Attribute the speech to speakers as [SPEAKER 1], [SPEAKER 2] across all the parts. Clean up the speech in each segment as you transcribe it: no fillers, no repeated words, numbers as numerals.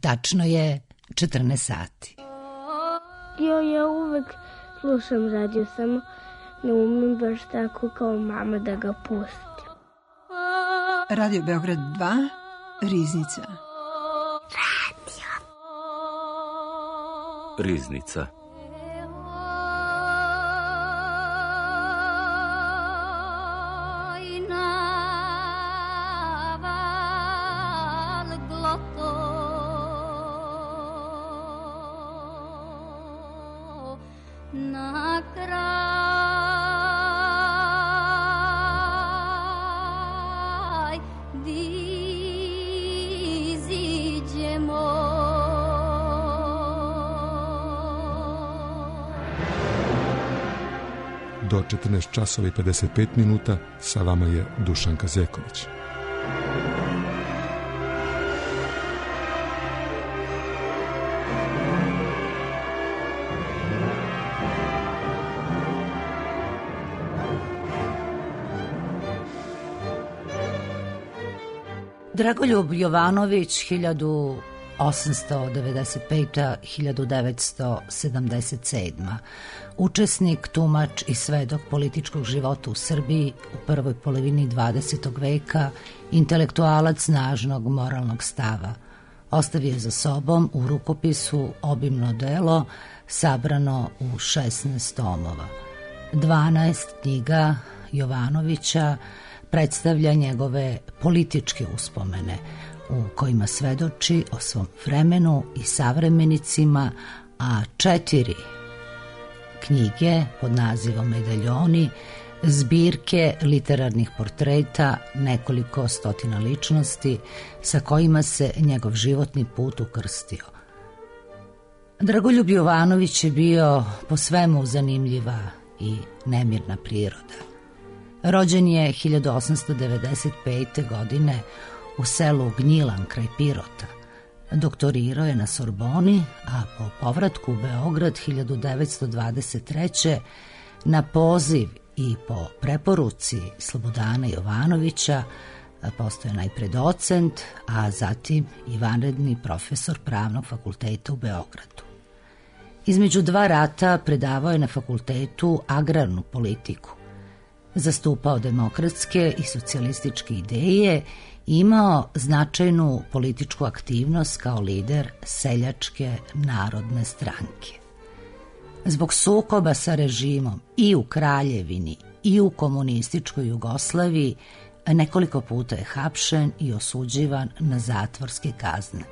[SPEAKER 1] Tačno je 14 sati.
[SPEAKER 2] Ja uvek slušam radio, samo ne umem baš tako kao mama da ga pustim.
[SPEAKER 3] Radio Beograd 2, Riznica.
[SPEAKER 4] Riznica.
[SPEAKER 5] Do 14 časova i 55 minuta sa vama je Dušanka Zeković.
[SPEAKER 1] Dragoljub Jovanović 1895-1977. Učesnik, tumač i svedok političkog života u Srbiji u prvoj polovini 20. veka, intelektualac snažnog moralnog stava. Ostavio je za sobom u rukopisu obimno delo sabrano u 16 tomova. 12 knjiga Jovanovića predstavlja njegove političke uspomene u kojima svedoči o svom vremenu i savremenicima, a 4 knjige pod nazivom Medaljoni, zbirke literarnih portreta nekoliko stotina ličnosti sa kojima se njegov životni put ukrstio. Dragoljub Jovanović je bio po svemu zanimljiva i nemirna priroda. Rođen je 1895. godine u selu Gnjilan kraj Pirota. Doktorirao je na Sorboni, a po povratku u Beograd 1923. na poziv i po preporuci Slobodana Jovanovića postao je najpre docent, a zatim i vanredni profesor Pravnog fakulteta u Beogradu. Između 2 rata predavao je na fakultetu agrarnu politiku. Zastupao demokratske i socijalističke ideje i imao značajnu političku aktivnost kao lider Seljačke narodne stranke. Zbog sukoba sa režimom i u Kraljevini i u komunističkoj Jugoslaviji nekoliko puta je hapšen i osuđivan na zatvorske kazne.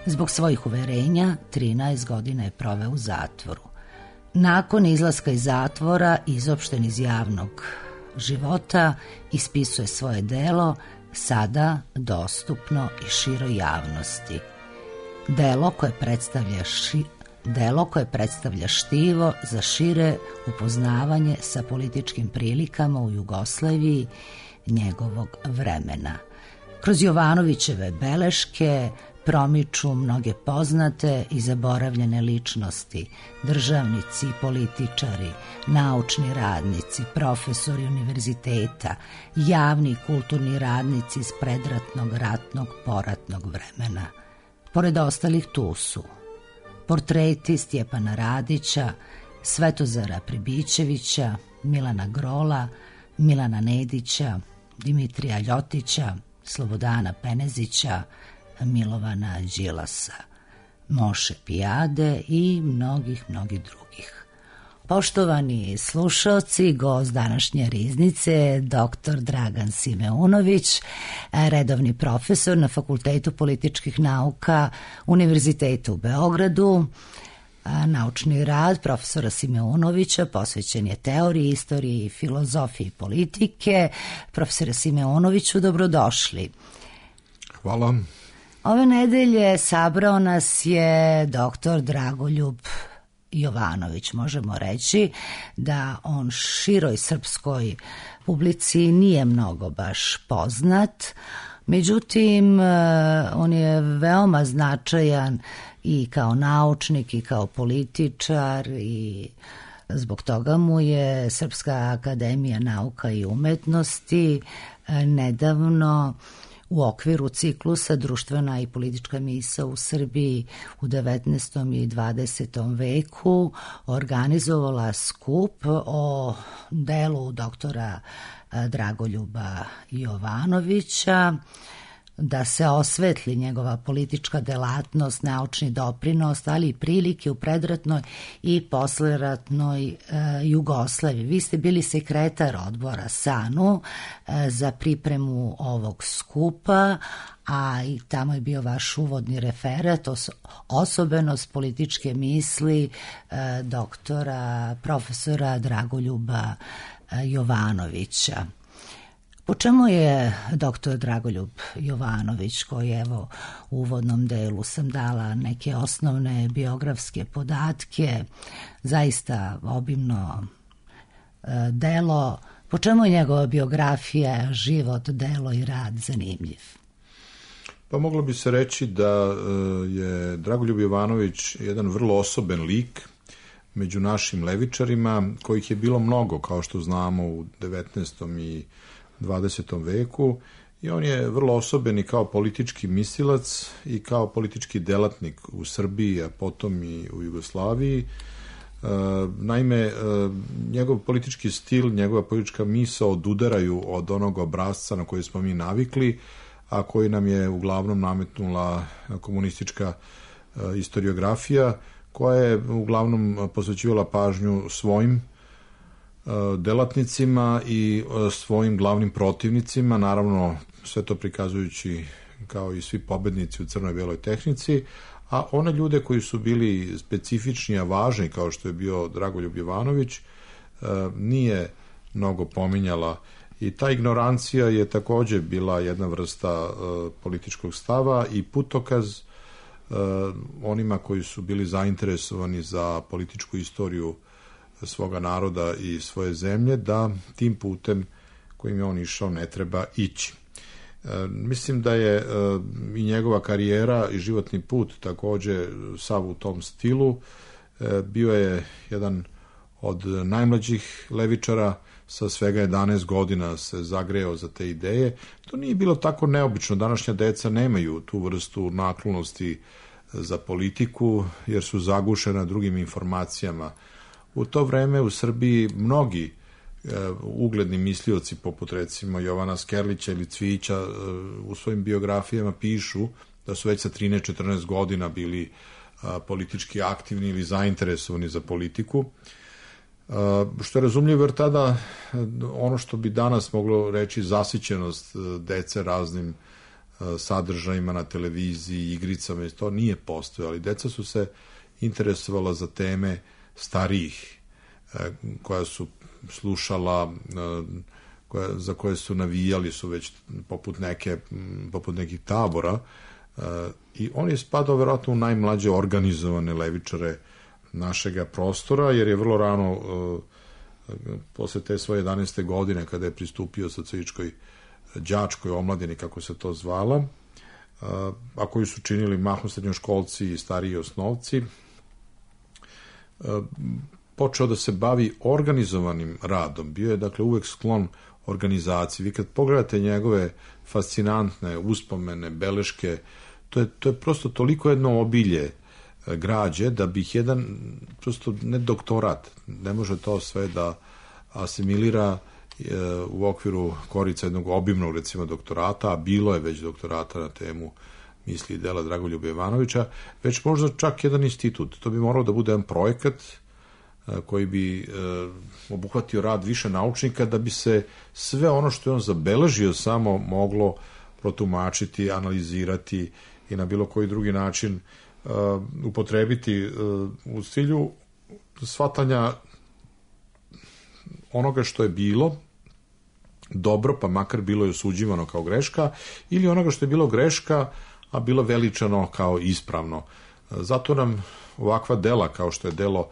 [SPEAKER 1] Zbog svojih uverenja 13 godina je proveo u zatvoru. Nakon izlaska iz zatvora, izopšten iz javnog života, ispisuje svoje delo, sada dostupno i široj javnosti. Delo koje predstavlja štivo za šire upoznavanje sa političkim prilikama u Jugoslaviji njegovog vremena. Kroz Jovanovićeve beleške promiču mnoge poznate i zaboravljene ličnosti, državnici, političari, naučni radnici, profesori univerziteta, javni i kulturni radnici iz predratnog, ratnog, poratnog vremena. Pored ostalih tu su portreti Stjepana Radića, Svetozara Pribićevića, Milana Grola, Milana Nedića, Dimitrija Ljotića, Slobodana Penezića, Milovana Đilasa, Moše Pijade i mnogih drugih. Poštovani slušaoci, gost današnje Riznice, dr. Dragan Simeunović, redovni profesor na Fakultetu političkih nauka Univerziteta u Beogradu. Naučni rad profesora Simeunovića posvećen je teoriji, istoriji, filozofiji politike. Profesore Simeunoviću, dobrodošli.
[SPEAKER 5] Hvala.
[SPEAKER 1] Ove nedelje sabrao nas je dr. Dragoljub Jovanović. Možemo reći da on široj srpskoj publici nije mnogo baš poznat, međutim on je veoma značajan i kao naučnik i kao političar i zbog toga mu je Srpska akademija nauka i umetnosti nedavno U okviru ciklusa Društvena i politička misao u Srbiji u 19. i 20. veku organizovala skup o delu doktora Dragoljuba Jovanovića, da se osvetli njegova politička delatnost, naučni doprinos, ali i prilike u predratnoj i posleratnoj Jugoslaviji. Vi ste bili sekretar odbora SANU za pripremu ovog skupa, a i tamo je bio vaš uvodni referat, osobenost političke misli doktora, profesora Dragoljuba Jovanovića. Po čemu je doktor Dragoljub Jovanović, koji evo u uvodnom delu sam dala neke osnovne biografske podatke, zaista obimno delo, po čemu je njegova biografija, život, delo i rad zanimljiv?
[SPEAKER 4] Pa moglo bi se reći da je Dragoljub Jovanović jedan vrlo osoben lik među našim levičarima, kojih je bilo mnogo, kao što znamo, u 19. i 20. veku, i on je vrlo osoben i kao politički mislilac i kao politički delatnik u Srbiji, a potom i u Jugoslaviji. Naime, njegov politički stil, njegova politička misao odudaraju od onog obrasca na koji smo mi navikli, a koji nam je uglavnom nametnula komunistička istoriografija, koja je uglavnom posvećivala pažnju svojim delatnicima i svojim glavnim protivnicima, naravno sve to prikazujući kao i svi pobednici u crno-beloj tehnici, a one ljude koji su bili specifični, a važni, kao što je bio Dragoljub Jovanović, nije mnogo pominjala, i ta ignorancija je takođe bila jedna vrsta političkog stava i putokaz onima koji su bili zainteresovani za političku istoriju svoga naroda i svoje zemlje, da tim putem kojim je on išao ne treba ići. Mislim da je i njegova karijera i životni put takođe sav u tom stilu. Bio je jedan od najmlađih levičara, sa svega 11 godina se zagreo za te ideje. To nije bilo tako neobično. Današnja deca nemaju tu vrstu naklonosti za politiku, jer su zagušena drugim informacijama. U to vreme u Srbiji mnogi ugledni mislioci, poput recimo Jovana Skerlića ili Cvijića, u svojim biografijama pišu da su već sa 13-14 godina bili politički aktivni ili zainteresovani za politiku. Što je razumljivo, jer tada ono što bi danas moglo reći zasićenost dece raznim sadržajima na televiziji, igricama, to nije postojalo, ali deca su se interesovala za teme starijih, koja su slušala, za koje su navijali, su već poput nekih tabora, i on je spadao verovatno u najmlađe organizovane levičare našega prostora, jer je vrlo rano, posle te svoje 11. godine, kada je pristupio socijalističkoj đačkoj omladini, kako se to zvala, a koji su činili mahom srednjoškolci i stariji osnovci, počeo da se bavi organizovanim radom. Bio je, dakle, uvek sklon organizaciji. Vi kad pogledate njegove fascinantne uspomene, beleške, to je prosto toliko jedno obilje građe, da bih jedan, prosto ne doktorat, ne može to sve da asimilira u okviru korica jednog obimnog, recimo, doktorata, a bilo je već doktorata na temu misli i dela Dragoljuba Jovanovića, već možda čak jedan institut. To bi morao da bude jedan projekat koji bi obuhvatio rad više naučnika, da bi se sve ono što je on zabeležio samo moglo protumačiti, analizirati i na bilo koji drugi način upotrebiti u cilju shvatanja onoga što je bilo dobro, pa makar bilo je osuđivano kao greška, ili onoga što je bilo greška, a bilo veličano kao ispravno. Zato nam ovakva dela, kao što je delo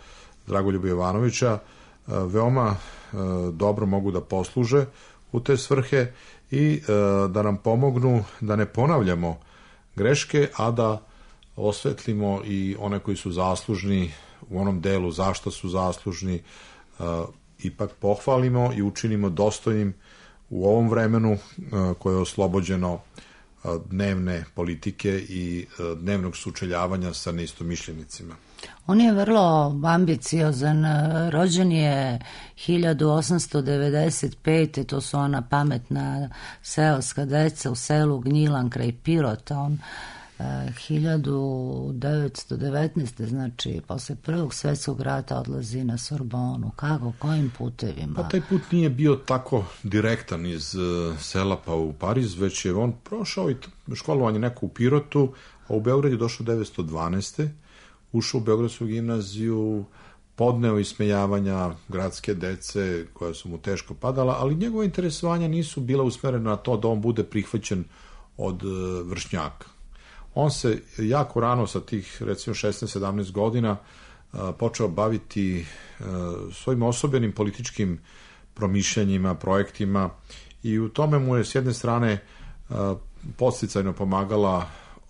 [SPEAKER 4] Dragoljuba Jovanovića, veoma dobro mogu da posluže u te svrhe i da nam pomognu da ne ponavljamo greške, a da osvetlimo i one koji su zaslužni u onom delu zašto su zaslužni, ipak pohvalimo i učinimo dostojnim u ovom vremenu koje je oslobođeno dnevne politike i dnevnog sučeljavanja sa neistomišljenicima.
[SPEAKER 1] On je vrlo ambiciozan, rođen je 1895. To su ona pametna seoska deca u selu Gnjilan kraj Pirota. On 1919. znači posle Prvog svjetskog rata odlazi na Sorbonu. Kako, kojim putevima?
[SPEAKER 4] Pa taj put nije bio tako direktan iz sela pa u Pariz, već je on prošao i školovanje neko u Pirotu, a u Beograd je došao 1912. Ušao u Beogradsku gimnaziju, podneo ismejavanja gradske dece koja su mu teško padala, ali njegove interesovanja nisu bila usmerena na to da on bude prihvaćen od vršnjaka. On se jako rano sa tih recimo 16-17 godina počeo baviti svojim osobenim političkim promišljanjima, projektima i u tome mu je s jedne strane podsticajno pomagala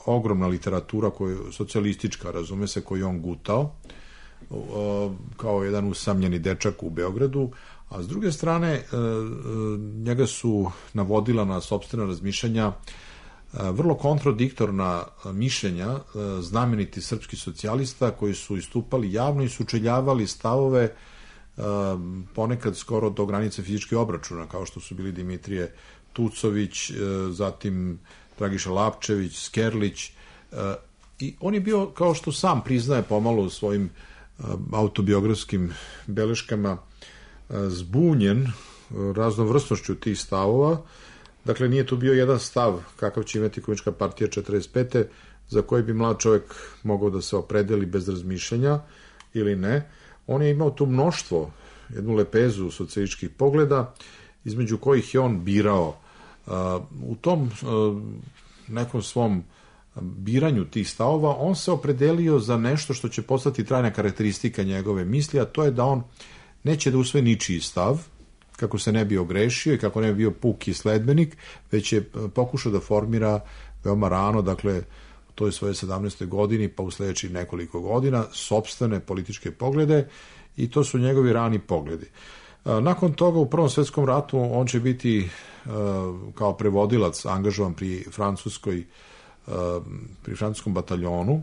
[SPEAKER 4] ogromna literatura socijalistička, razume se, koju on gutao kao jedan usamljeni dečak u Beogradu, a s druge strane njega su navodila na sopstvena razmišljanja vrlo kontradiktorna mišljenja znameniti srpski socijalista koji su istupali javno i sučeljavali stavove ponekad skoro do granice fizičkih obračuna, kao što su bili Dimitrije Tucović, zatim Dragiša Lapčević, Skerlić, i on je bio, kao što sam priznaje pomalo u svojim autobiografskim beleškama, zbunjen raznovrsnošću tih stavova. Dakle, nije tu bio jedan stav kakav će imati Komunistička partija 45. za koji bi mlad čovjek mogao da se opredeli bez razmišljanja ili ne. On je imao tu mnoštvo, jednu lepezu socijalističkih pogleda, između kojih je on birao. U tom nekom svom biranju tih stavova on se opredelio za nešto što će postati trajna karakteristika njegove misli, a to je da on neće da usvoji ničiji stav, kako se ne bi ogrešio i kako ne bi bio puki sledbenik, već je pokušao da formira veoma rano, dakle u toj svoje 17. godini pa u sledećih nekoliko godina, sopstvene političke poglede, i to su njegovi rani pogledi. Nakon toga u Prvom svjetskom ratu on će biti kao prevodilac angažovan pri francuskom bataljonu,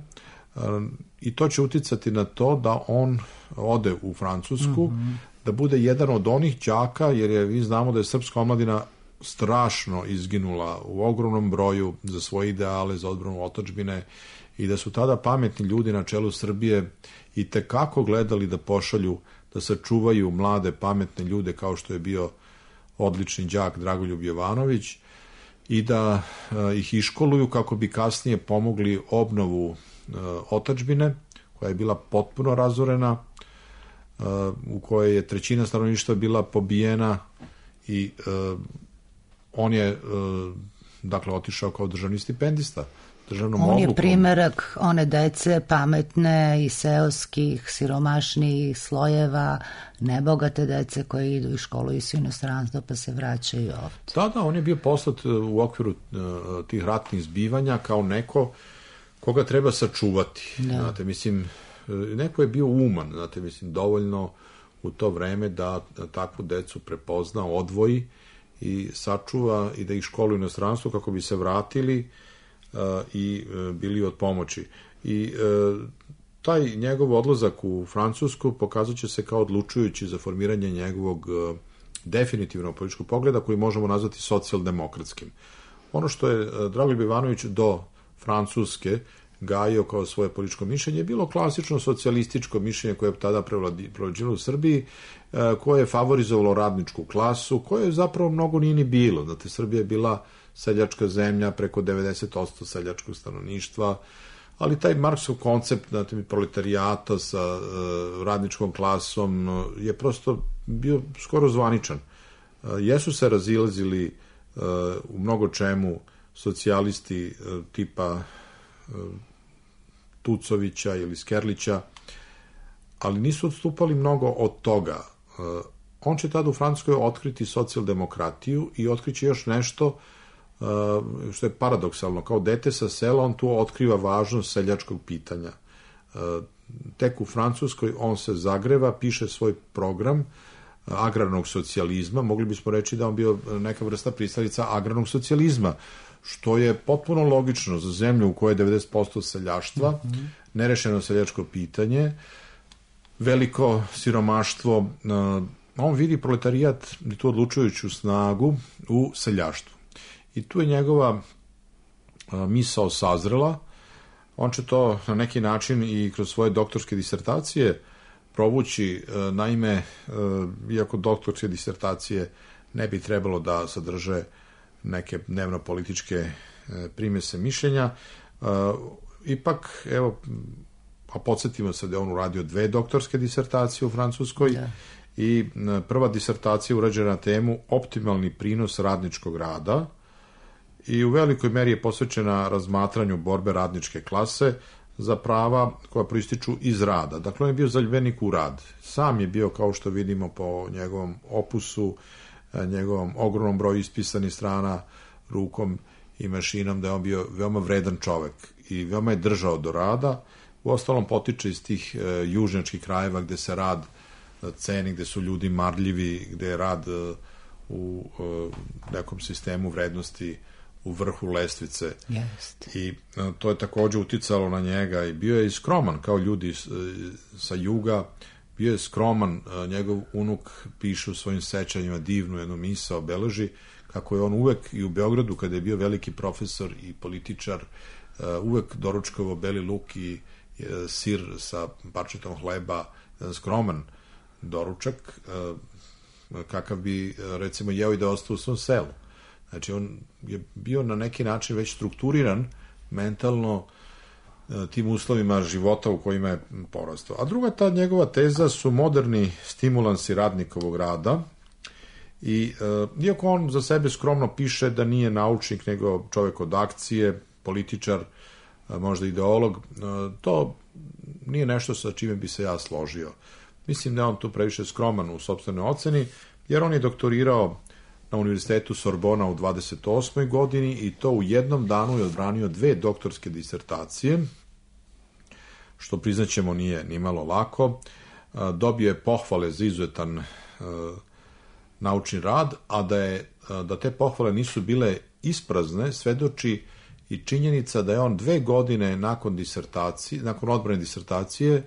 [SPEAKER 4] i to će uticati na to da on ode u Francusku, da bude jedan od onih đaka, jer vi znamo da je srpska omladina strašno izginula u ogromnom broju za svoje ideale, za odbranu otadžbine, i da su tada pametni ljudi na čelu Srbije i tekako gledali da pošalju, da sačuvaju mlade pametne ljude kao što je bio odlični đak Dragoljub Jovanović i da ih iškoluju kako bi kasnije pomogli obnovu otadžbine koja je bila potpuno razorena, u kojoj je trećina stanovništva bila pobijena, i on je dakle otišao kao državni stipendista.
[SPEAKER 1] On je primerak one dece pametne i seoskih, siromašnijih slojeva, nebogate dece koje idu i školuju se u inostranstvo pa se vraćaju ovde.
[SPEAKER 4] Da, on je bio poslat u okviru tih ratnih zbivanja kao neko koga treba sačuvati. Da. Znate, mislim, neko je bio uman, znate, mislim, dovoljno u to vreme da takvu decu prepozna, odvoji i sačuva i da ih školuju u inostranstvu kako bi se vratili i bili od pomoći. I taj njegov odlazak u Francusku pokazat će se kao odlučujući za formiranje njegovog definitivnog političkog pogleda koji možemo nazvati socijaldemokratskim. Ono što je Dragoljub Ivanović do Francuske gajio kao svoje političko mišljenje je bilo klasično socijalističko mišljenje koje je tada prevlađivalo u Srbiji, koje je favorizovalo radničku klasu, koje zapravo mnogo nije ni bilo. Znate, Srbija je bila seljačka zemlja, preko 90% seljačkog stanovništva, ali taj Marksov koncept, znate, proletarijata sa radničkom klasom je prosto bio skoro zvaničan. Jesu se razilazili u mnogo čemu socijalisti tipa Tucovića ili Skerlića, ali nisu odstupali mnogo od toga. On će tada u Francuskoj otkriti socijaldemokratiju i otkriće još nešto što je paradoksalno. Kao dete sa sela on tu otkriva važnost seljačkog pitanja. Tek u Francuskoj on se zagreva, piše svoj program agrarnog socijalizma. Mogli bismo reći da on bio neka vrsta pristalica agrarnog socijalizma. što je potpuno logično za zemlju u kojoj je 90% seljaštva, nerešeno seljačko pitanje, veliko siromaštvo. On vidi proletarijat i tu odlučujuću snagu u seljaštvu. I tu je njegova misao sazrela. On će to na neki način i kroz svoje doktorske disertacije provući. Naime, iako doktorske disertacije ne bi trebalo da sadrže neke dnevno-političke primese mišljenja, ipak, evo, a podsjetimo se da je on uradio 2 doktorske disertacije u Francuskoj, i prva disertacija urađena na temu optimalni prinos radničkog rada i u velikoj meri je posvećena razmatranju borbe radničke klase za prava koja proističu iz rada. Dakle, on je bio zaljubljenik u rad. Sam je bio, kao što vidimo po njegovom opusu, njegovom ogromnom broju ispisanih strana rukom i mašinom, da je on bio veoma vredan čovek i veoma je držao do rada. Uostalom potiče iz tih južnjačkih krajeva gde se rad ceni, gde su ljudi marljivi, gde je rad u nekom sistemu vrednosti u vrhu lestvice. I to je takođe uticalo na njega i bio je i skroman kao ljudi sa juga, bio je skroman. Njegov unuk piše u svojim sećanjima divnu jednu misao, beleži kako je on uvek i u Beogradu, kada je bio veliki profesor i političar, uvek doručkovao beli luk i sir sa parčetom hleba, skroman doručak, kakav bi, recimo, jeo i da ostao u svom selu. Znači, on je bio na neki način već strukturiran mentalno tim uslovima života u kojima je porastao. A druga ta njegova teza su moderni stimulansi radnikovog rada. I iako on za sebe skromno piše da nije naučnik, nego čovek od akcije, političar, možda ideolog, to nije nešto sa čime bi se ja složio. Mislim da je on tu previše skroman u sopstvenoj oceni, jer on je doktorirao na Univerzitetu Sorbona u 28. godini i to u jednom danu je odbranio 2 doktorske disertacije, što priznaćemo nije ni malo lako. Dobio je pohvale za izuzetan naučni rad, a da te pohvale nisu bile isprazne, svedoči i činjenica da je on 2 godine nakon odbrane disertacije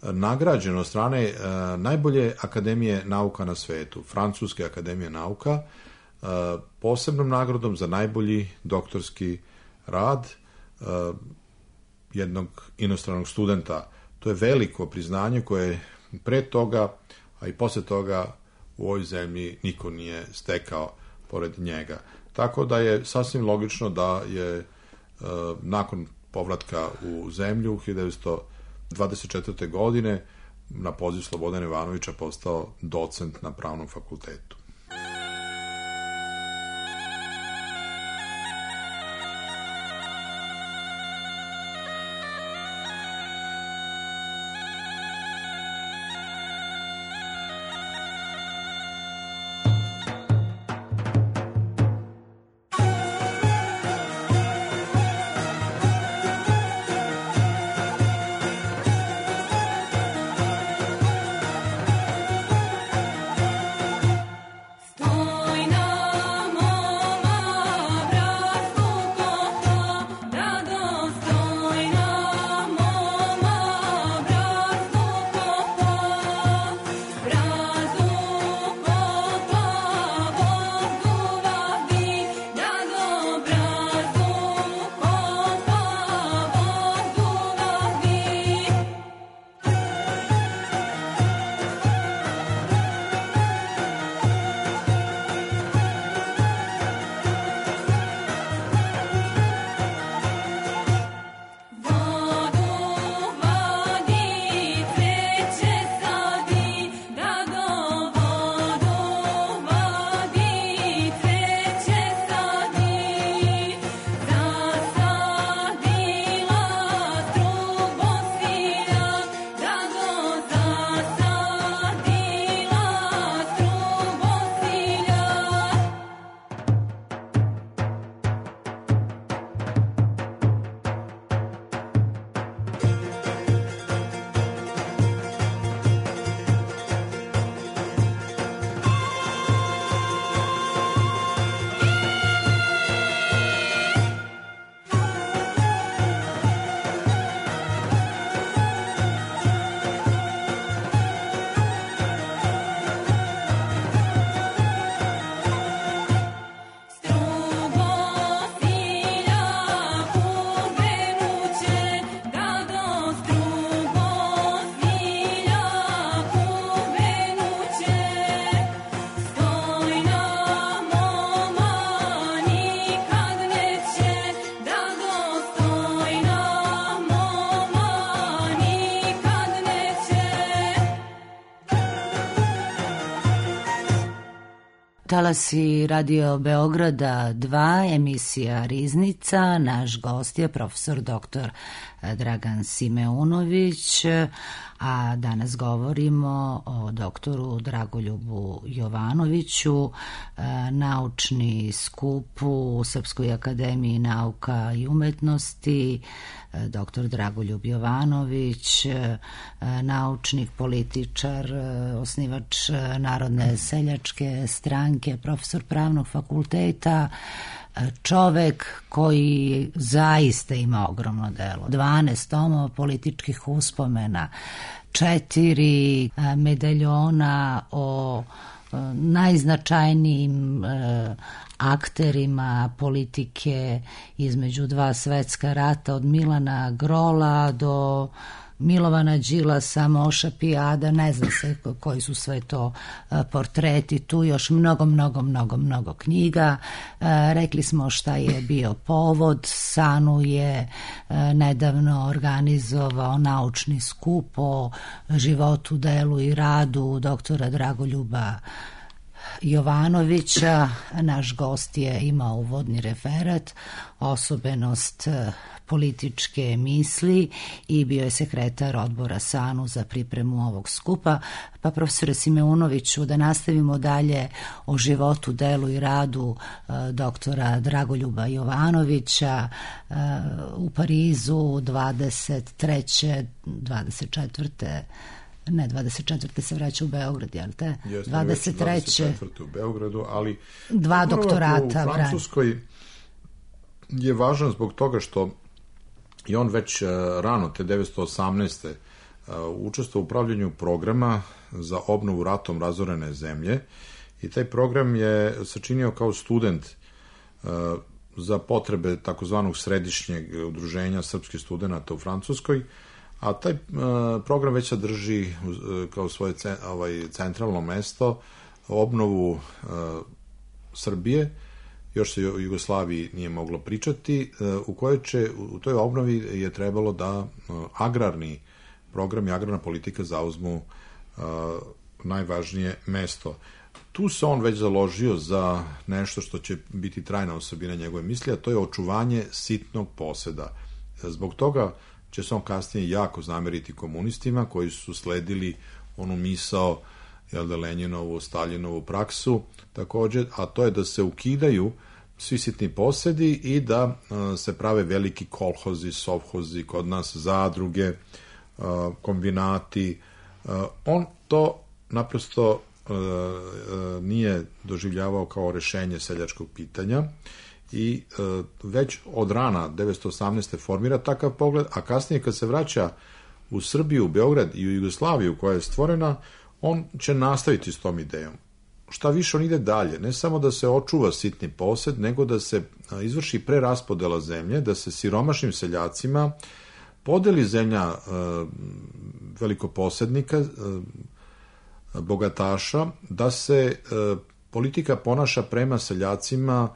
[SPEAKER 4] nagrađen od strane najbolje akademije nauka na svetu, Francuske akademije nauka, posebnom nagradom za najbolji doktorski rad jednog inostranog studenta. To je veliko priznanje koje pre toga, a i posle toga u ovoj zemlji niko nije stekao pored njega. Tako da je sasvim logično da je nakon povratka u zemlju 1924. godine na poziv Slobodana Ivanovića postao docent na Pravnom fakultetu.
[SPEAKER 1] talasi Radio Beograda 2, emisija Riznica. Naš gost je profesor dr. Dragan Simeunović, a danas govorimo o doktoru Dragoljubu Jovanoviću. Naučni skup u Srpskoj akademiji nauka i umetnosti, doktor Dragoljub Jovanović, naučnik, političar, osnivač Narodne seljačke stranke, profesor pravnog fakulteta, čovek koji zaista ima ogromno delo. 12 tomova političkih uspomena, 4 medaljona o najznačajnijim akterima politike između 2 svetska rata, od Milana Grola do Milovana Đilasa, Moša Pijada, ne zna se koji su sve to portreti, tu još mnogo knjiga. Rekli smo šta je bio povod. SANU je nedavno organizovao naučni skup o životu, delu i radu doktora Dragoljuba Jovanovića. Naš gost je imao uvodni referat, osobenost političke misli i bio je sekretar odbora SANU za pripremu ovog skupa. Pa profesore Simeunoviću, da nastavimo dalje o životu, delu i radu doktora Dragoljuba Jovanovića. U Parizu 24. se vraća u Beograd, jel te?
[SPEAKER 4] 23. u Beogradu, ali
[SPEAKER 1] 2 doktorata.
[SPEAKER 4] U Francuskoj je važan zbog toga što i on već rano, te 1918. učestvovao u upravljanju programa za obnovu ratom razorene zemlje i taj program je sačinio kao student za potrebe takozvanog središnjeg udruženja srpskih studenata u Francuskoj, a taj program već sadrži kao svoje centralno mesto obnovu Srbije, još se o Jugoslaviji nije moglo pričati, u toj obnovi je trebalo da agrarni program i agrarna politika zauzmu najvažnije mesto. Tu se on već založio za nešto što će biti trajna osobina njegove misli, a to je očuvanje sitnog poseda. Zbog toga će se on kasnije jako zameriti komunistima koji su sledili onu misao, Lenjinovu, Staljinovu praksu također, a to je da se ukidaju svi sitni posedi i da se prave veliki kolhozi, sovhozi, kod nas zadruge, kombinati. On to naprosto nije doživljavao kao rešenje seljačkog pitanja i već od rana 1918. formira takav pogled, a kasnije kad se vraća u Srbiju, u Beograd i u Jugoslaviju koja je stvorena, on će nastaviti s tom idejom. Šta više, on ide dalje, ne samo da se očuva sitni posed, nego da se izvrši preraspodela zemlje, da se siromašnim seljacima podeli zemlja velikoposednika, bogataša, da se politika ponaša prema seljacima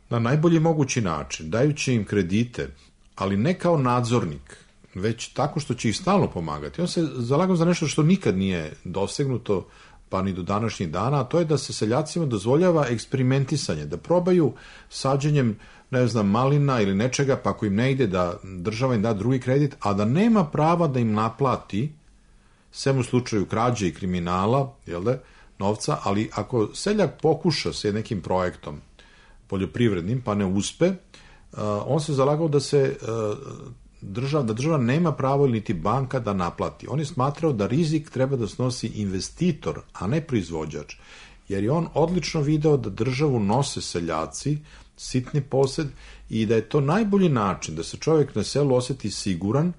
[SPEAKER 4] na najbolji mogući način, dajući im kredite, ali ne kao nadzornik, već tako što će ih stalno pomagati. On se zalagao za nešto što nikad nije dosegnuto, pa ni do današnjih dana, a to je da se seljacima dozvoljava eksperimentisanje, da probaju sađenjem, malina ili nečega, pa ako im ne ide da država im da drugi kredit, a da nema prava da im naplati, sem u slučaju krađe i kriminala, novca, ali ako seljak pokuša sa nekim projektom poljoprivrednim, pa ne uspe, on se zalagao da država nema pravo ili niti banka da naplati. On je smatrao da rizik treba da snosi investitor, a ne proizvođač, jer je on odlično video da državu nose seljaci, sitni posed, i da je to najbolji način da se čovjek na selu osjeti siguran,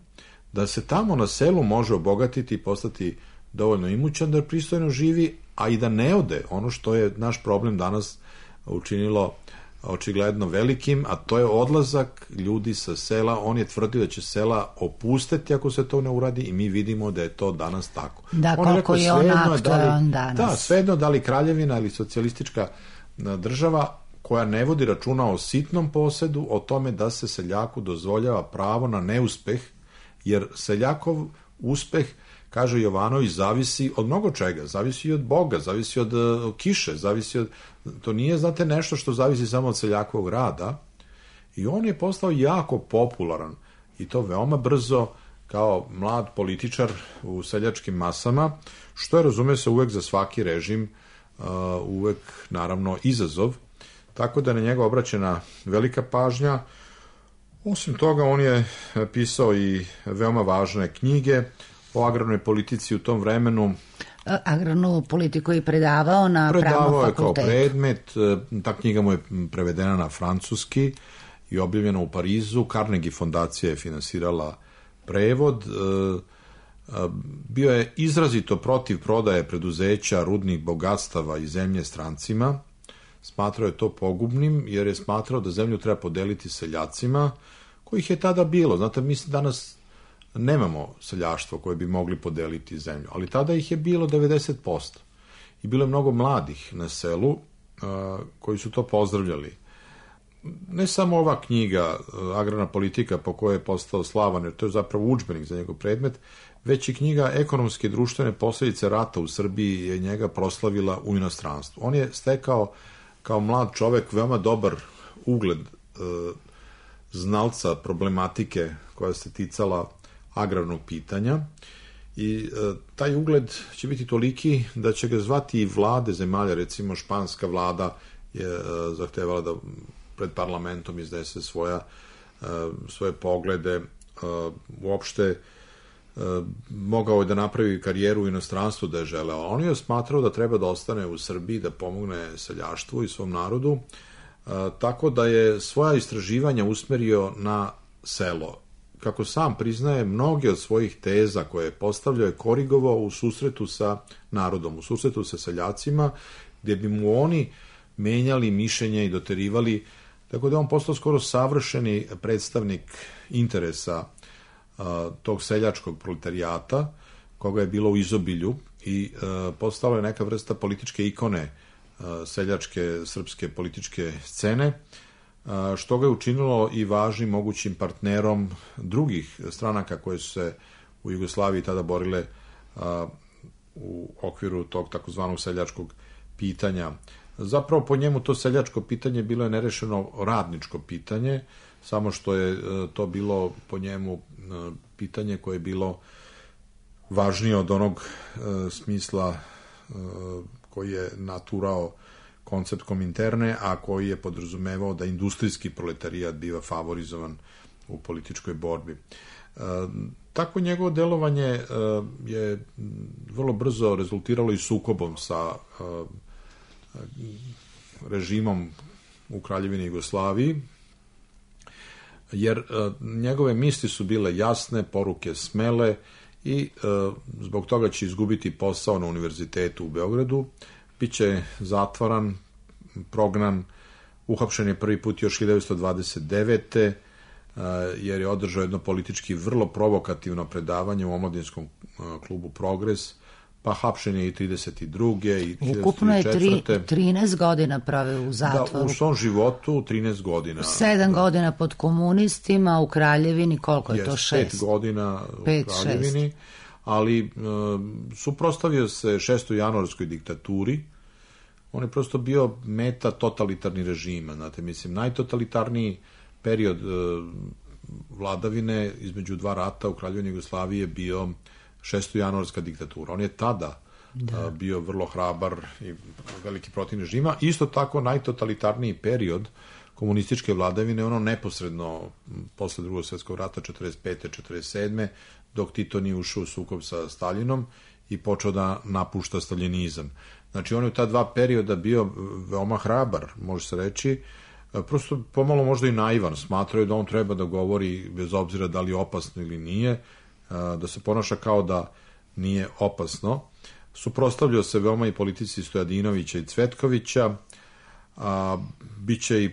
[SPEAKER 4] da se tamo na selu može obogatiti i postati dovoljno imućan da pristojno živi, a i da ne ode, ono što je naš problem danas učinilo očigledno velikim, a to je odlazak ljudi sa sela. On je tvrdio da će sela opustiti ako se to ne uradi i mi vidimo da je to danas tako.
[SPEAKER 1] Da, koliko je on aktualan danas.
[SPEAKER 4] Da, svejedno da li kraljevina ili socijalistička država koja ne vodi računa o sitnom posedu, o tome da se seljaku dozvoljava pravo na neuspeh, jer seljakov uspeh kaže Jovanović, zavisi od mnogo čega, zavisi od Boga, zavisi od kiše, zavisi od... To nije, znate, nešto što zavisi samo od seljakovog rada. I on je postao jako popularan i to veoma brzo kao mlad političar u seljačkim masama, što je, razume se, uvek za svaki režim, uvek, naravno, izazov. Tako da je na njega obraćena velika pažnja. Osim toga, on je pisao i veoma važne knjige o agrarnoj politici u tom vremenu.
[SPEAKER 1] Agrarnu politiku je predavao na pravnom fakultetu.
[SPEAKER 4] Predavao je kao predmet, ta knjiga mu je prevedena na francuski i objavljena u Parizu. Carnegie fondacija je finansirala prevod. Bio je izrazito protiv prodaje preduzeća rudnih bogatstava i zemlje strancima. Smatrao je to pogubnim, jer je smatrao da zemlju treba podeliti seljacima, kojih je tada bilo. Znate, mi danas nemamo seljaštvo koje bi mogli podeliti zemlju, ali tada ih je bilo 90%. I bilo je mnogo mladih na selu koji su to pozdravljali. Ne samo ova knjiga, Agrarna politika, po kojoj je postao slavan, jer to je zapravo udžbenik za njegov predmet, već i knjiga Ekonomske i društvene posljedice rata u Srbiji je njega proslavila u inostranstvu. On je stekao kao mlad čovek veoma dobar ugled znalca problematike koja se ticala agrarnog pitanja i taj ugled će biti toliki da će ga zvati i vlade zemalja, recimo španska vlada je zahtevala da pred parlamentom iznese svoje poglede, uopšte mogao je da napravi karijeru u inostranstvu da je želeo. On je smatrao da treba da ostane u Srbiji, da pomogne seljaštvu i svom narodu, tako da je svoja istraživanja usmerio na selo. Kako sam priznaje, mnoge od svojih teza koje je postavljao je korigovao u susretu sa narodom, u susretu sa seljacima, gdje bi mu oni menjali mišljenje i doterivali, tako da je on postao skoro savršeni predstavnik interesa tog seljačkog proletarijata, koga je bilo u izobilju i postala je neka vrsta političke ikone seljačke srpske političke scene, što ga je učinilo i važnim mogućim partnerom drugih stranaka koje su se u Jugoslaviji tada borile u okviru tog takozvanog seljačkog pitanja. Zapravo po njemu to seljačko pitanje bilo je nerešeno radničko pitanje, samo što je to bilo po njemu pitanje koje je bilo važnije od onog smisla koji je naturao koncept Kominterne, a koji je podrazumevao da industrijski proletarijat biva favorizovan u političkoj borbi. Tako njegovo delovanje je vrlo brzo rezultiralo i sukobom sa režimom u Kraljevini Jugoslaviji, jer njegove misli su bile jasne, poruke smele i zbog toga će izgubiti posao na univerzitetu u Beogradu, biće zatvaran, prognan, uhapšen je prvi put još 1929. Jer je održao jedno politički vrlo provokativno predavanje u omladinskom klubu Progres, pa hapšen je i 32. i 1934.
[SPEAKER 1] Ukupno je 13 godina prave u zatvoru.
[SPEAKER 4] Da, u svom životu 13 godina.
[SPEAKER 1] 7 godina pod komunistima, u Kraljevini, koliko je to?
[SPEAKER 4] 5 godina u Kraljevini, ali suprotstavio se 6. januarskoj diktaturi. On je prosto bio meta totalitarni režima. Znate, mislim, najtotalitarniji period vladavine između dva rata u Kraljevini Jugoslaviji je bio 6. januarska diktatura. On je tada bio vrlo hrabar i veliki protiv režima. Isto tako najtotalitarniji period komunističke vladavine, ono neposredno posle drugog svjetskog rata 45. 47. dok Tito nije ušao u sukob sa Staljinom i počeo da napušta staljinizam. Znači, on je u ta dva perioda bio veoma hrabar, može se reći, prosto pomalo možda i naivan, smatraju da on treba da govori bez obzira da li je opasno ili nije, da se ponaša kao da nije opasno. Suprotstavljao se veoma i politici Stojadinovića i Cvetkovića, biće i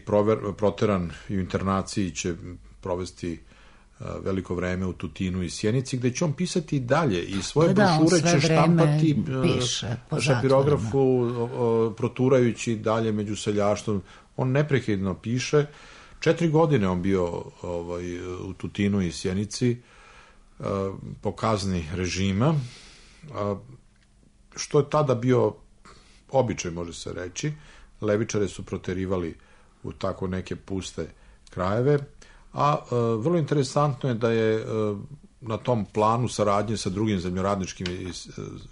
[SPEAKER 4] proteran i u internaciji, će provesti veliko vreme u Tutinu i Sjenici, gde će on pisati i dalje i svoje brošure će štampati u šapirografu, proturajući dalje među seljaštvom. On neprekidno piše. 4 godine on bio u Tutinu i Sjenici po kazni režima što je tada bio običaj, može se reći. Levičare su proterivali u tako neke puste krajeve, a vrlo interesantno je da je na tom planu saradnje sa drugim zemljoradničkim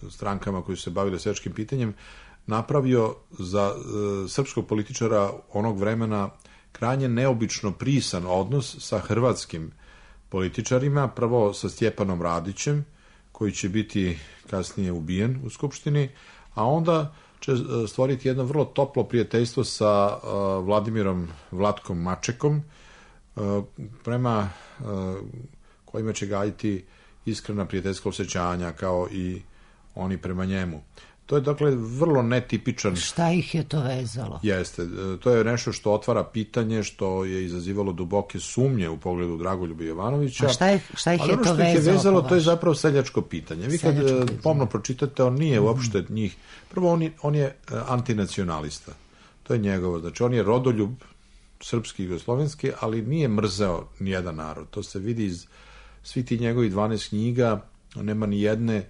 [SPEAKER 4] strankama koji su se bavili seljačkim pitanjem napravio za srpskog političara onog vremena krajnje neobično prisan odnos sa hrvatskim političarima, prvo sa Stjepanom Radićem, koji će biti kasnije ubijen u Skupštini, a onda će stvoriti jedno vrlo toplo prijateljstvo sa Vladimirom Vlatkom Mačekom, prema kojima će gajiti iskrena prijateljska osjećanja, kao i oni prema njemu. To je, dakle, vrlo netipičan...
[SPEAKER 1] Šta ih je to vezalo?
[SPEAKER 4] Jeste. To je nešto što otvara pitanje, što je izazivalo duboke sumnje u pogledu Dragoljuba Jovanovića.
[SPEAKER 1] A šta ih je to
[SPEAKER 4] vezalo? To je zapravo seljačko pitanje. Vi kad pomno pročitate, on nije uopšte njih... Prvo, on je antinacionalista. To je njegovo. Znači, on je rodoljub srpski i jugoslovenski, ali nije mrzeo nijedan narod. To se vidi iz svi ti njegovi 12 knjiga, nema ni jedne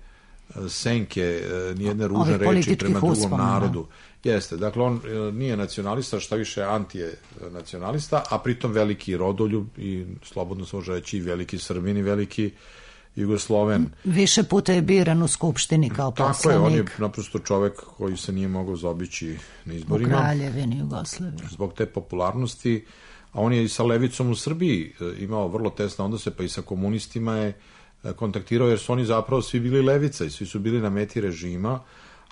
[SPEAKER 4] senke, nijedne ružne reči prema drugom narodu. Jeste, dakle, on nije nacionalista, šta više anti je nacionalista, a pritom veliki rodoljub i slobodno se može reći i veliki Srbin i veliki Jugosloven.
[SPEAKER 1] Više puta je biran u Skupštini kao poslanik.
[SPEAKER 4] Tako je, on je naprosto čovek koji se nije mogao zaobići na izborima.
[SPEAKER 1] U Kraljevini Jugoslavije.
[SPEAKER 4] Zbog te popularnosti, a on je i sa levicom u Srbiji imao vrlo tesne odnose, pa i sa komunistima je kontaktirao, jer su oni zapravo svi bili levica i svi su bili na meti režima,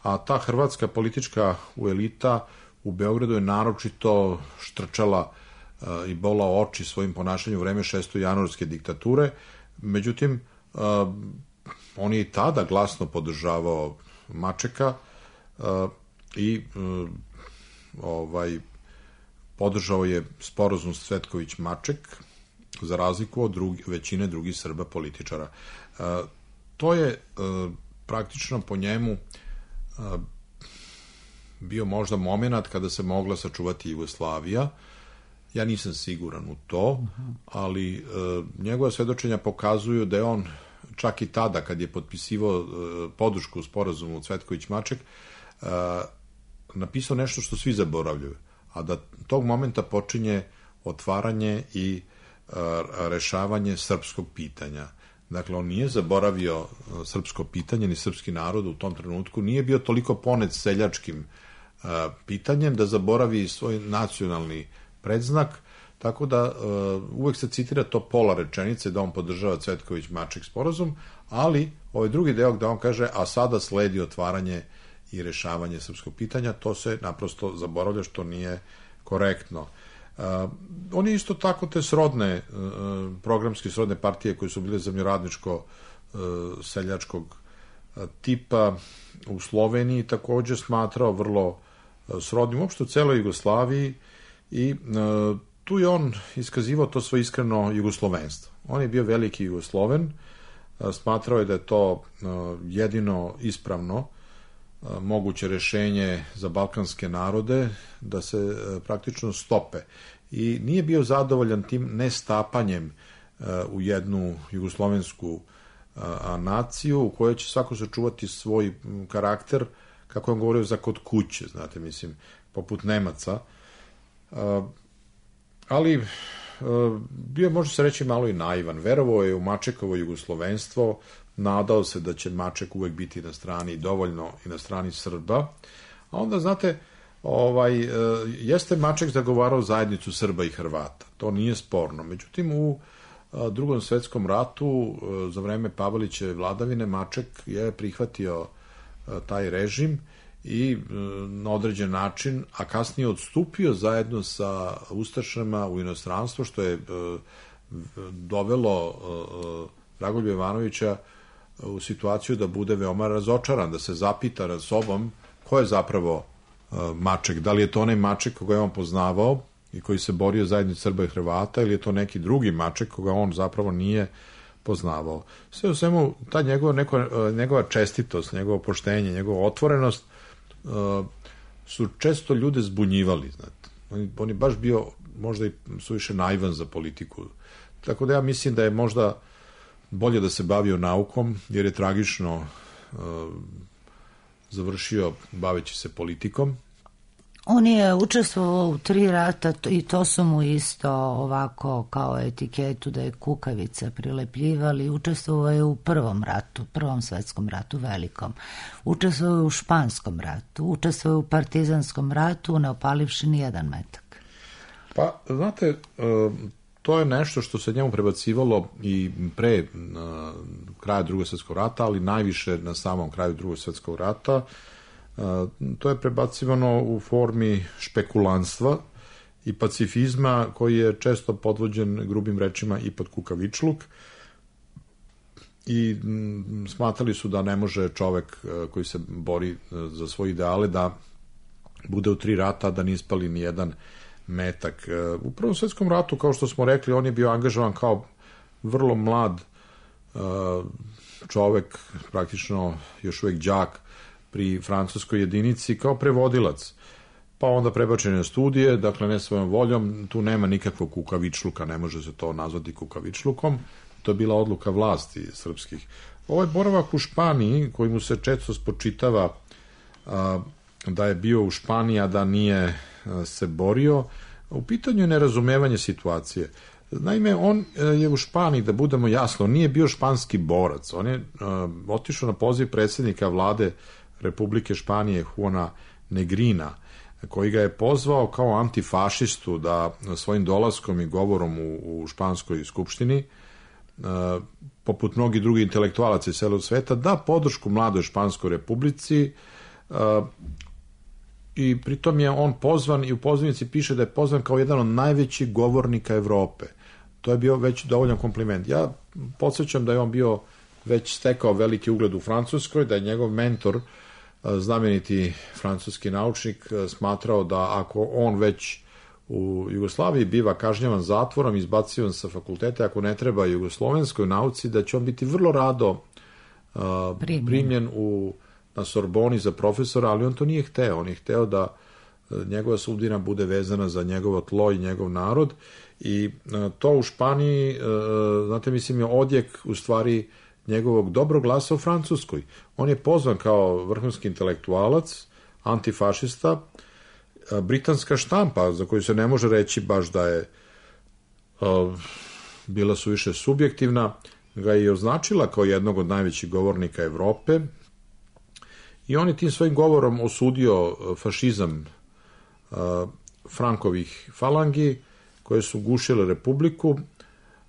[SPEAKER 4] a ta hrvatska politička elita u Beogradu je naročito štrčala i bola oči svojim ponašanjem u vreme 6. januarske diktature. Međutim, on je i tada glasno podržavao Mačeka i podržao je sporazum Cvetković-Maček, za razliku od većine drugih Srba političara. To je praktično po njemu bio možda moment kada se mogla sačuvati Jugoslavija. Ja nisam siguran u to, ali njegova svedočenja pokazuju da je on čak i tada, kad je potpisivao podršku sporazumu Cvetković-Maček, napisao nešto što svi zaboravljaju, a da tog momenta počinje otvaranje i rešavanje srpskog pitanja. Dakle, on nije zaboravio srpsko pitanje, ni srpski narod u tom trenutku, nije bio toliko ponet seljačkim pitanjem da zaboravi svoj nacionalni predznak, tako da uvek se citira to pola rečenice da on podržava Cvetković-Maček sporazum, ali ovaj drugi deo gde on kaže, a sada sledi otvaranje i rešavanje srpskog pitanja, to se naprosto zaboravlja, što nije korektno. On je isto tako te srodne, programske srodne partije koje su bile zemljoradničko seljačkog tipa u Sloveniji takođe smatrao vrlo srodnim, uopšte u celoj Jugoslaviji, i tu je on iskazivao to svoje iskreno jugoslovenstvo. On je bio veliki Jugosloven, smatrao je da je to jedino ispravno moguće rešenje za balkanske narode, da se praktično stope. I nije bio zadovoljan tim nestapanjem u jednu jugoslovensku naciju u kojoj će svako sačuvati svoj karakter, kako on govorio, za kod kuće, znate, mislim, poput Nemaca. Ali bio, može se reći, malo i naivan. Verovao je u Mačekovo jugoslovenstvo, nadao se da će Maček uvek biti na strani, dovoljno i na strani Srba. A onda, znate, jeste Maček zagovarao zajednicu Srba i Hrvata. To nije sporno. Međutim, u Drugom svetskom ratu, za vreme Pavelićeve vladavine, Maček je prihvatio taj režim i na određen način, a kasnije odstupio zajedno sa ustašama u inostranstvo, što je dovelo Dragoljuba Jovanovića u situaciju da bude veoma razočaran, da se zapita nad sobom ko je zapravo Maček, da li je to onaj Maček koga je on poznavao i koji se borio zajedno Srba i Hrvata, ili je to neki drugi Maček koga on zapravo nije poznavao. Sve u svemu, ta njegova čestitost, njegovo poštenje, njegova otvorenost su često ljude zbunjivali, znate. On je baš bio možda i suviše naivan za politiku. Tako da ja mislim da je možda bolje da se bavio naukom, jer je tragično završio baveći se politikom.
[SPEAKER 1] On je učestvovao u 3 rata i to su mu isto ovako kao etiketu da je kukavica prilepljivali. Učestvovao je u Prvom svetskom ratu velikom. Učestvovao je u Španskom ratu. Učestvovao je u Partizanskom ratu, ne opalivši ni jedan metak.
[SPEAKER 4] Pa, znate, to je nešto što se njemu prebacivalo i pre kraja Drugog svjetskog rata, ali najviše na samom kraju Drugog svjetskog rata. To je prebacivano u formi špekulanstva i pacifizma koji je često podvođen grubim rečima i pod kukavičluk i smatrali su da ne može čovek koji se bori za svoje ideale da bude u 3 rata, da ne ispali ni jedan metak. U Prvom svjetskom ratu, kao što smo rekli, on je bio angažovan kao vrlo mlad čovek, praktično još uvek đak pri francuskoj jedinici kao prevodilac, pa onda prebačen na studije, dakle ne svojom voljom, tu nema nikakvog kukavičluka, ne može se to nazvati kukavičlukom, to je bila odluka vlasti srpskih. Ovaj boravak u Španiji, koji mu se često spočitava da je bio u Španiji, a da nije se borio, u pitanju je nerazumevanje situacije. Naime, on je u Španiji, da budemo jasno, nije bio španski borac, on je otišao na poziv predsjednika vlade Republike Španije Juana Negrina, koji ga je pozvao kao antifašistu da svojim dolaskom i govorom u španskoj skupštini, poput mnogih drugih intelektualaca iz celog sveta, da podršku mladoj Španskoj republici i pritom je on pozvan i u pozivnici piše da je pozvan kao jedan od najvećih govornika Evrope. To je bio već dovoljan kompliment. Ja podsjećam da je on bio već stekao veliki ugled u Francuskoj, da je njegov mentor, znameniti francuski naučnik, smatrao da ako on već u Jugoslaviji biva kažnjavan zatvorom, izbacivan sa fakulteta, ako ne treba jugoslovenskoj nauci, da će on biti vrlo rado primljen na Sorboni za profesora, ali on to nije hteo. On je hteo da njegova sudbina bude vezana za njegovo tlo i njegov narod i to u Španiji, znate, mislim, je odjek u stvari njegovog dobrog glasa u Francuskoj. On je pozvan kao vrhunski intelektualac, antifašista, britanska štampa, za koju se ne može reći baš da je bila suviše subjektivna, ga je označila kao jednog od najvećih govornika Evrope i on je tim svojim govorom osudio fašizam Frankovih falangi koje su gušile Republiku.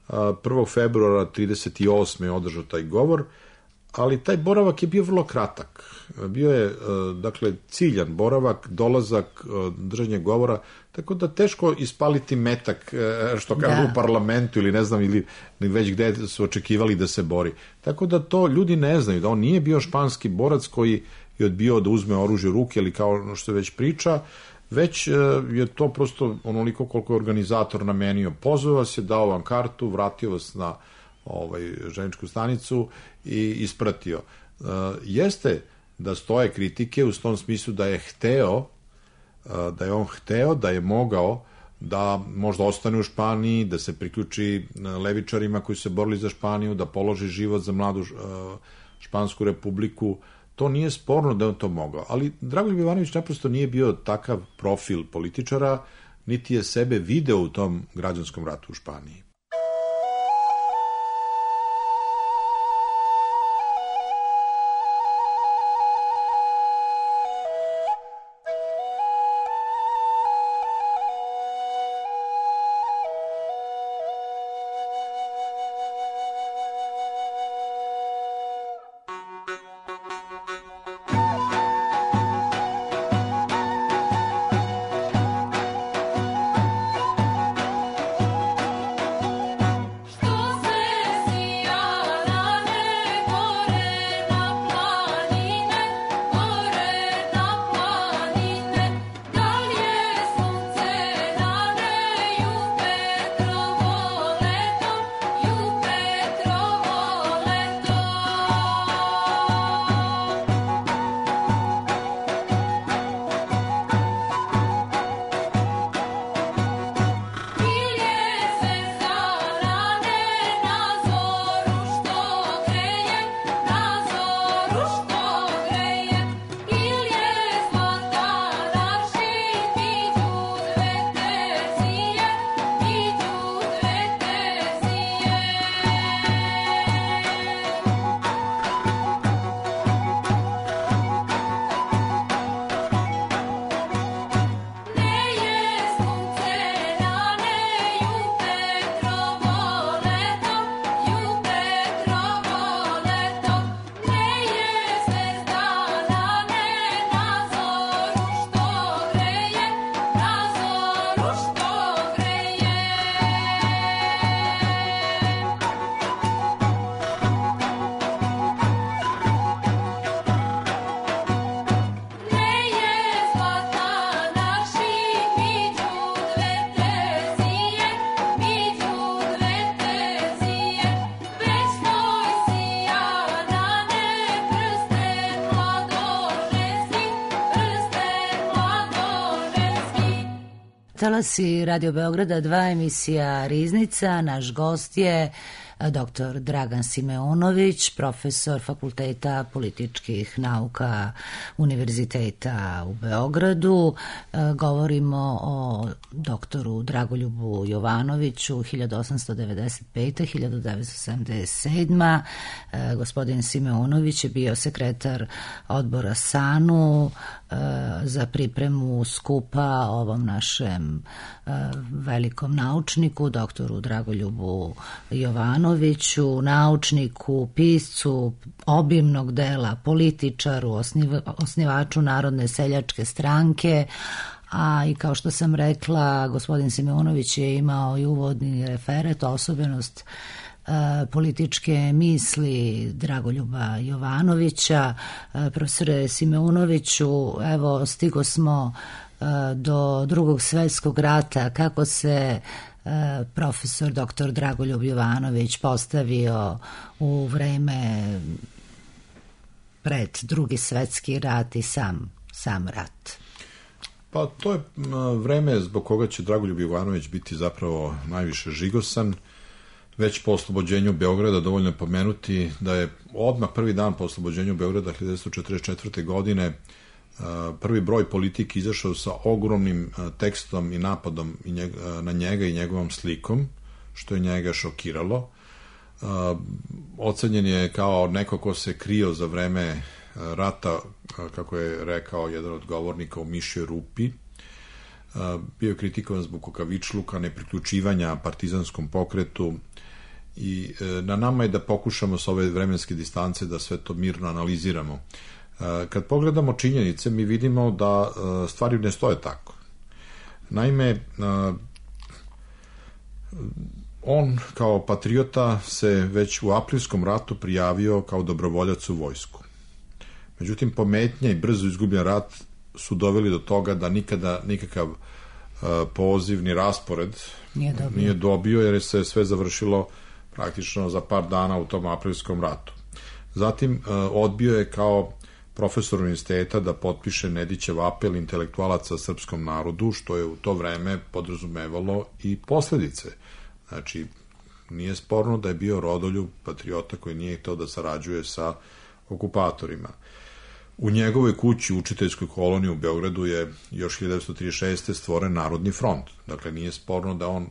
[SPEAKER 4] 1. februara 1938. je održao taj govor, ali taj boravak je bio vrlo kratak. Bio je, dakle, ciljan boravak, dolazak, držanje govora, tako da teško ispaliti metak, što kažu u parlamentu ili ne znam, ili već gde su očekivali da se bori. Tako da to ljudi ne znaju, da on nije bio španski borac koji je odbio da uzme oružje u ruke ili kao što već priča, već je to prosto onoliko koliko je organizator namenio. Pozvao vas je, dao vam kartu, vratio vas na željezničku stanicu i ispratio. Jeste da stoje kritike u tom smislu da je on hteo, da je mogao da možda ostane u Španiji, da se priključi levičarima koji su se borili za Španiju, da položi život za mladu Špansku republiku. To nije sporno da je on to mogao, ali Dragoljub Ivanović naprosto nije bio takav profil političara, niti je sebe video u tom građanskom ratu u Španiji.
[SPEAKER 1] Talasi Radio Beograda 2, emisija Riznica. Naš gost je dr. Dragan Simeonović, profesor Fakulteta političkih nauka Univerziteta u Beogradu. Govorimo o doktoru Dragoljubu Jovanoviću, 1895-1977. Gospodin Simeonović je bio sekretar odbora SANU za pripremu skupa ovom našem velikom naučniku, doktoru Dragoljubu Jovanoviću, naučniku, piscu obimnog dela, političaru, osnivaču Narodne seljačke stranke, a i kao što sam rekla, gospodin Simeonović je imao i uvodni referat, osobenost političke misli Dragoljuba Jovanovića. Profesore Simeonoviću, evo stigo smo do Drugog svjetskog rata. Kako se profesor dr. Dragoljub Jovanović postavio u vreme pred Drugi svjetski rat i sam rat?
[SPEAKER 4] Pa to je vreme zbog koga će Dragoljub Jovanović biti zapravo najviše žigosan. Već po oslobođenju Beograda dovoljno je pomenuti da je odmah prvi dan po oslobođenju Beograda 1944. godine prvi broj Politike izašao sa ogromnim tekstom i napadom na njega i njegovom slikom, što je njega šokiralo. Ocenjen je kao neko ko se krio za vreme rata, kako je rekao jedan od govornika, u mišjoj rupi. Bio je kritikovan zbog kukavičluka, nepriključivanja partizanskom pokretu, i na nama je da pokušamo sa ove vremenske distance da sve to mirno analiziramo. Kad pogledamo činjenice, mi vidimo da stvari ne stoje tako. Naime, on kao patriota se već u aprilskom ratu prijavio kao dobrovoljac u vojsku. Međutim, pometnja i brzo izgubljen rat su doveli do toga da nikada nikakav poziv ni raspored nije dobio, jer se sve završilo praktično za par dana u tom aprilskom ratu. Zatim odbio je kao profesor univerziteta da potpiše Nedićev apel intelektualaca srpskom narodu, što je u to vreme podrazumevalo i posledice. Znači, nije sporno da je bio rodoljub, patriota koji nije hteo da sarađuje sa okupatorima. U njegovoj kući, učiteljskoj koloniji u Beogradu, je još 1936. stvoren Narodni front. Dakle, nije sporno da on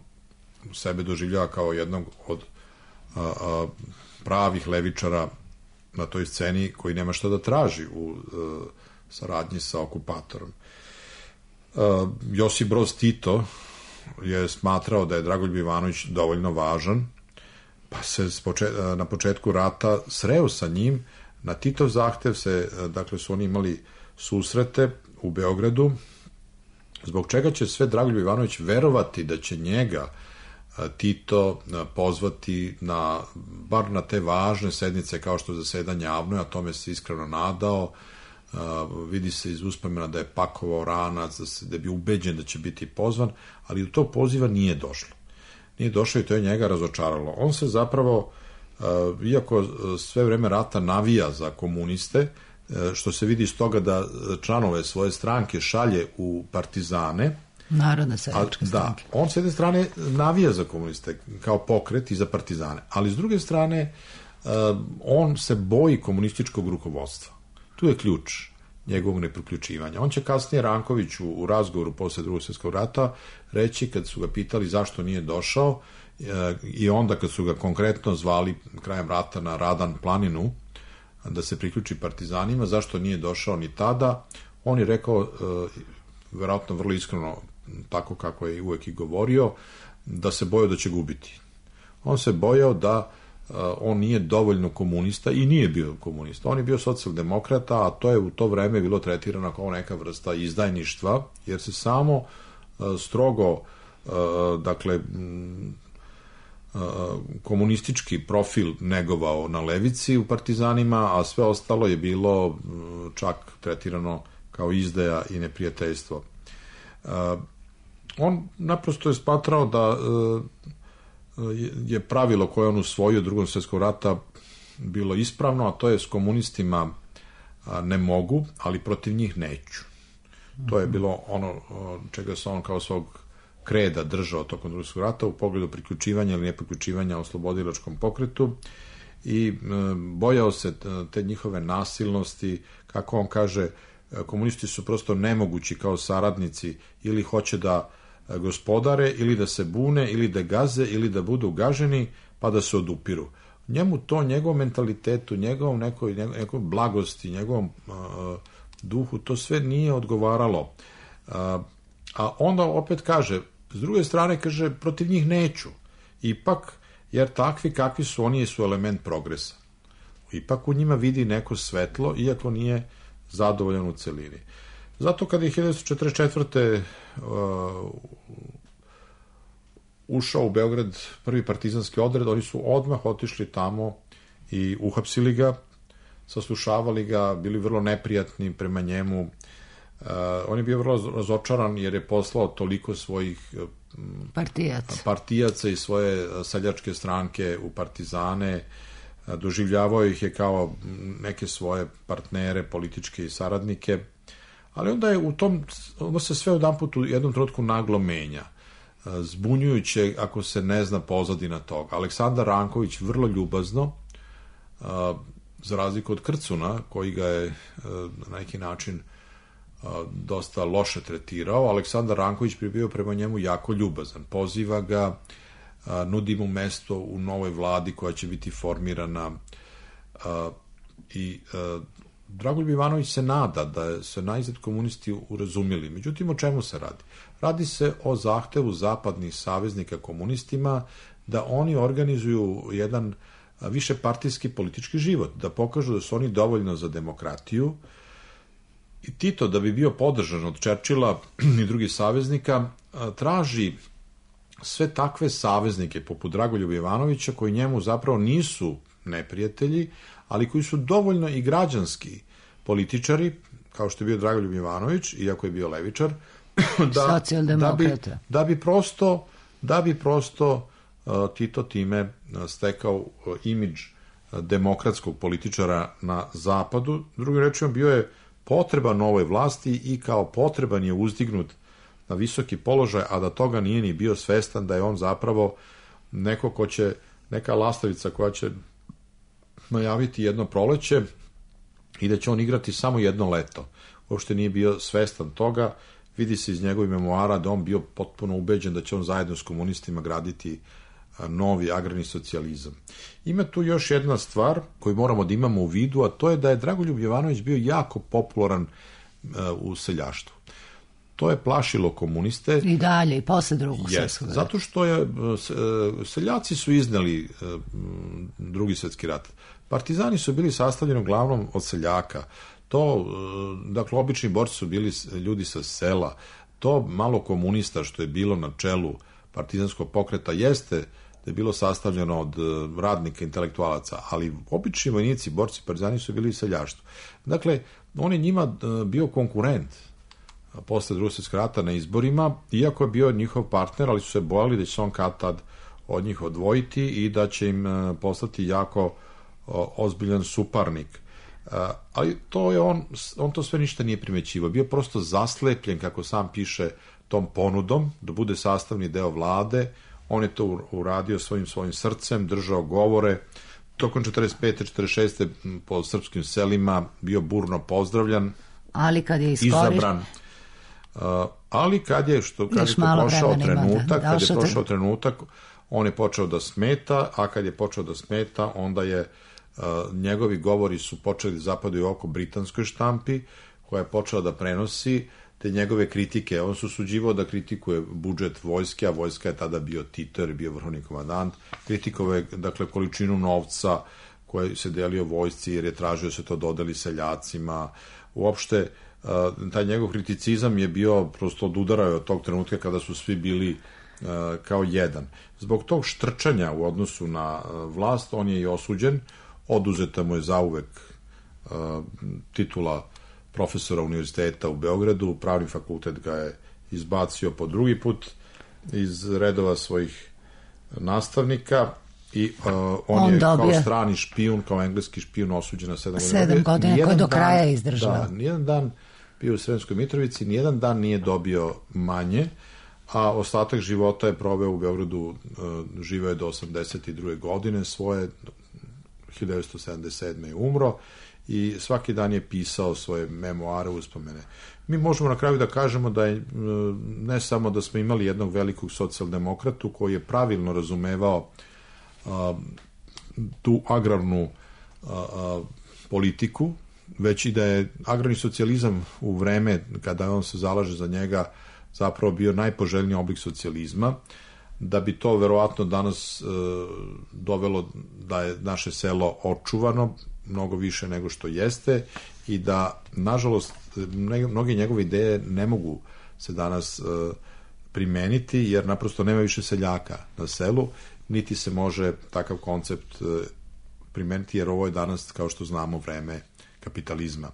[SPEAKER 4] sebe doživljava kao jednog od pravih levičara na toj sceni, koji nema šta da traži u saradnji sa okupatorom. Josip Broz Tito je smatrao da je Dragoljub Jovanović dovoljno važan, pa se na početku rata sreo sa njim. Na Titov zahtev su oni imali susrete u Beogradu, zbog čega će sve Dragoljub Jovanović verovati da će njega Tito pozvati bar na te važne sednice kao što je zasedanje Avnoja, a tome se iskreno nadao. Vidi se iz uspomena da je pakovao ranac, da je bio ubeđen da će biti pozvan, ali do tog poziva nije došlo. Nije došlo i to je njega razočaralo. On se zapravo, iako sve vreme rata navija za komuniste, što se vidi iz toga da članove svoje stranke šalje u partizane,
[SPEAKER 1] Narodne seljačke stranke.
[SPEAKER 4] Da, on s jedne strane navija za komuniste kao pokret i za partizane, ali s druge strane on se boji komunističkog rukovodstva. Tu je ključ njegovog nepriključivanja. On će kasnije Rankoviću u razgovoru posle Drugog svjetskog rata reći, kad su ga pitali zašto nije došao, i onda kad su ga konkretno zvali krajem rata na Radan planinu da se priključi partizanima, zašto nije došao ni tada, on je rekao, verovatno vrlo iskreno, tako kako je uvek i govorio, da se bojao da će gubiti. On se bojao da on nije dovoljno komunista i nije bio komunista. On je bio socijaldemokrata, a to je u to vreme bilo tretirano kao neka vrsta izdajništva, jer se samo strogo, dakle, komunistički profil negovao na levici u partizanima, a sve ostalo je bilo čak tretirano kao izdaja i neprijateljstvo. On naprosto je smatrao da je pravilo koje on usvojio Drugog svjetskog rata bilo ispravno, a to je s komunistima ne mogu, ali protiv njih neću. To je bilo ono čega se on kao svog kreda držao tokom Drugog svjetskog rata u pogledu priključivanja ili nepriključivanja oslobodilačkom pokretu i bojao se te njihove nasilnosti, kako on kaže, komunisti su prosto nemogući kao saradnici, ili hoće da gospodare, ili da se bune, ili da gaze, ili da budu gaženi, pa da se odupiru. Njemu to, njegovom mentalitetu, njegovom nekoj blagosti, njegovom duhu, to sve nije odgovaralo. A onda opet kaže, s druge strane kaže, protiv njih neću. Ipak, jer takvi kakvi su, oni su element progresa. Ipak u njima vidi neko svetlo, iako nije zadovoljan u celini. Zato kada je 1944. Ušao u Beograd prvi partizanski odred, oni su odmah otišli tamo i uhapsili ga, saslušavali ga, bili vrlo neprijatni prema njemu. On je bio vrlo razočaran jer je poslao toliko svojih partijaca i svoje seljačke stranke u partizane, doživljavao ih je kao neke svoje partnere, političke i saradnike, ali onda je onda se sve odanput u jednom trenutku naglo menja. Zbunjujuće ako se ne zna pozadina toga. Aleksandar Ranković vrlo ljubazno, za razliku od Krcuna, koji ga je na neki način dosta loše tretirao, Aleksandar Ranković bi bio prema njemu jako ljubazan. Poziva ga, nudi mu mesto u novoj vladi koja će biti formirana i Dragoljub Ivanović se nada da se najzad komunisti urazumili. Međutim, o čemu se radi? Radi se o zahtevu zapadnih saveznika komunistima da oni organizuju jedan višepartijski politički život, da pokažu da su oni dovoljno za demokratiju. I Tito, da bi bio podržan od Čerčila i drugih saveznika, traži sve takve saveznike poput Dragoljuba Ivanovića, koji njemu zapravo nisu neprijatelji, ali koji su dovoljno i građanski političari, kao što je bio Dragoljub Ivanović, iako je bio levičar, da bi prosto Tito time stekao imidž demokratskog političara na zapadu. Drugim rečima, bio je potreban novoj vlasti i kao potreban je uzdignut na visoki položaj, a da toga nije ni bio svestan da je on zapravo neko ko će, neka lastavica koja će najaviti jedno proleće i da će on igrati samo jedno leto. Uopšte nije bio svestan toga. Vidi se iz njegovih memoara da on bio potpuno ubeđen da će on zajedno s komunistima graditi novi agrarni socijalizam. Ima tu još jedna stvar koju moramo da imamo u vidu, a to je da je Dragoljub Jovanović bio jako popularan u seljaštvu. To je plašilo komuniste.
[SPEAKER 1] I dalje, i posle Drugog svjetskog rata.
[SPEAKER 4] Zato što seljaci su izneli Drugi svjetski rat. Partizani su bili sastavljeni uglavnom od seljaka. Dakle, obični borci su bili ljudi sa sela. To malo komunista što je bilo na čelu partizanskog pokreta jeste da je bilo sastavljeno od radnika, intelektualaca, ali obični vojnici, borci, partizani su bili seljaštvo. Dakle, on je njima bio konkurent posle Drugog svjetskog rata na izborima, iako je bio njihov partner, ali su se bojali da će se on kad tad od njih odvojiti i da će im postati jako ozbiljan suparnik. Ali to je on to sve ništa nije primećivao. Bio prosto zaslepljen, kako sam piše, tom ponudom da bude sastavni deo vlade. On je to uradio svojim srcem, držao govore. Tokom 45. 46. po srpskim selima bio burno pozdravljan.
[SPEAKER 1] Ali kad je
[SPEAKER 4] izabran. Ali kad je prošao trenutak, on je počeo da smeta, a kad je počeo da smeta, onda je njegovi govori su počeli da zapadaju oko britanskoj štampi, koja je počela da prenosi te njegove kritike. On se usuđivao da kritikuje budžet vojske, a vojska je tada bio Tito, jer je bio vrhovni komandant. Kritikovao, dakle, količinu novca koji se delio vojsci, jer je tražio se to dodeli seljacima. Uopšte, taj njegov kriticizam je bio prosto odudarao od tog trenutka kada su svi bili kao jedan. Zbog tog štrčanja u odnosu na vlast, on je i osuđen. Oduzeta mu je zauvek titula profesora univerziteta u Beogradu, Pravni fakultet ga je izbacio po drugi put iz redova svojih nastavnika i on je kao strani špijun, kao engleski špijun osuđen na 7
[SPEAKER 1] godina, koji do kraja izdržao.
[SPEAKER 4] Da, nijedan dan bio u Sremskoj Mitrovici, nijedan dan nije dobio manje, a ostatak života je proveo u Beogradu, živeo je do 82. godine, svoje 1977. je umro i svaki dan je pisao svoje memoare, uspomene. Mi možemo na kraju da kažemo da je ne samo da smo imali jednog velikog socijaldemokratu koji je pravilno razumevao tu agrarnu politiku, već i da je agrarni socijalizam u vreme kada on se zalaže za njega zapravo bio najpoželjniji oblik socijalizma, da bi to verovatno danas dovelo da je naše selo očuvano mnogo više nego što jeste i da, nažalost, mnoge njegove ideje ne mogu se danas primeniti, jer naprosto nema više seljaka na selu, niti se može takav koncept primeniti, jer ovo je danas, kao što znamo, vreme kapitalizma.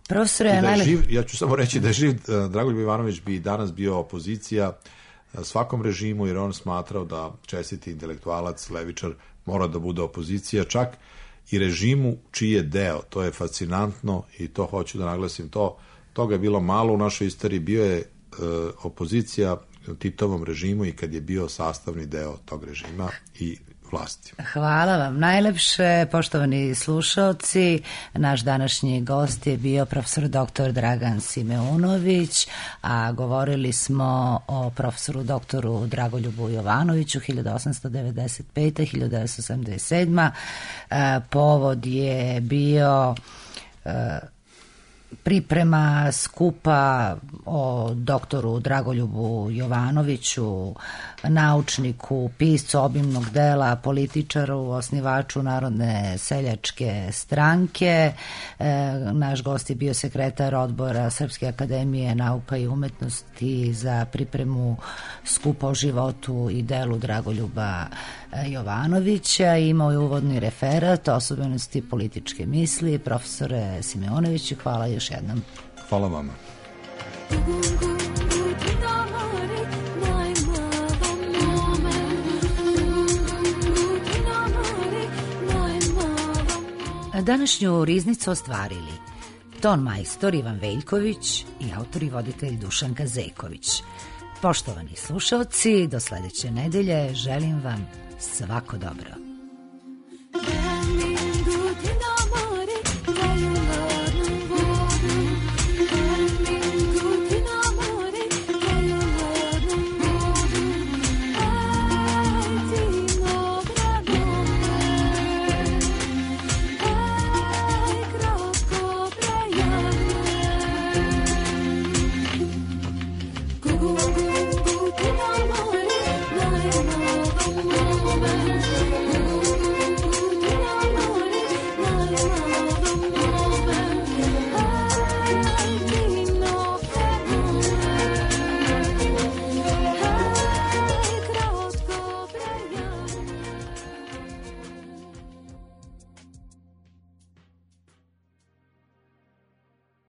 [SPEAKER 1] Profesore,
[SPEAKER 4] ja ću samo reći da je živ Dragoljub Ivanović bi danas bio opozicija svakom režimu, jer on smatrao da čestiti intelektualac, levičar, mora da bude opozicija, čak i režimu čiji je deo. To je fascinantno i to hoću da naglasim. Toga je bilo malo u našoj istoriji. Bio je opozicija Titovom režimu i kad je bio sastavni deo tog režima i vlasti.
[SPEAKER 1] Hvala vam najlepše, poštovani slušaoci. Naš današnji gost je bio profesor dr. Dragan Simeunović, a govorili smo o profesoru doktoru Dragoljubu Jovanoviću 1895-1977. Povod je bio priprema skupa o doktoru Dragoljubu Jovanoviću, naučniku, piscu obimnog dela, političaru, osnivaču Narodne seljačke stranke. Naš gost je bio sekretar odbora Srpske akademije nauka i umetnosti za pripremu skupa o životu i delu Dragoljuba Jovanovića. Imao je uvodni referat osobenosti političke misli. Profesore Simeunoviću, hvala još jednom.
[SPEAKER 4] Hvala vama.
[SPEAKER 1] Današnju riznicu ostvarili ton majstor Ivan Veljković i autor i voditelj Dušanka Zeković. Poštovani slušaoci, do sledeće nedelje želim vam svako dobro.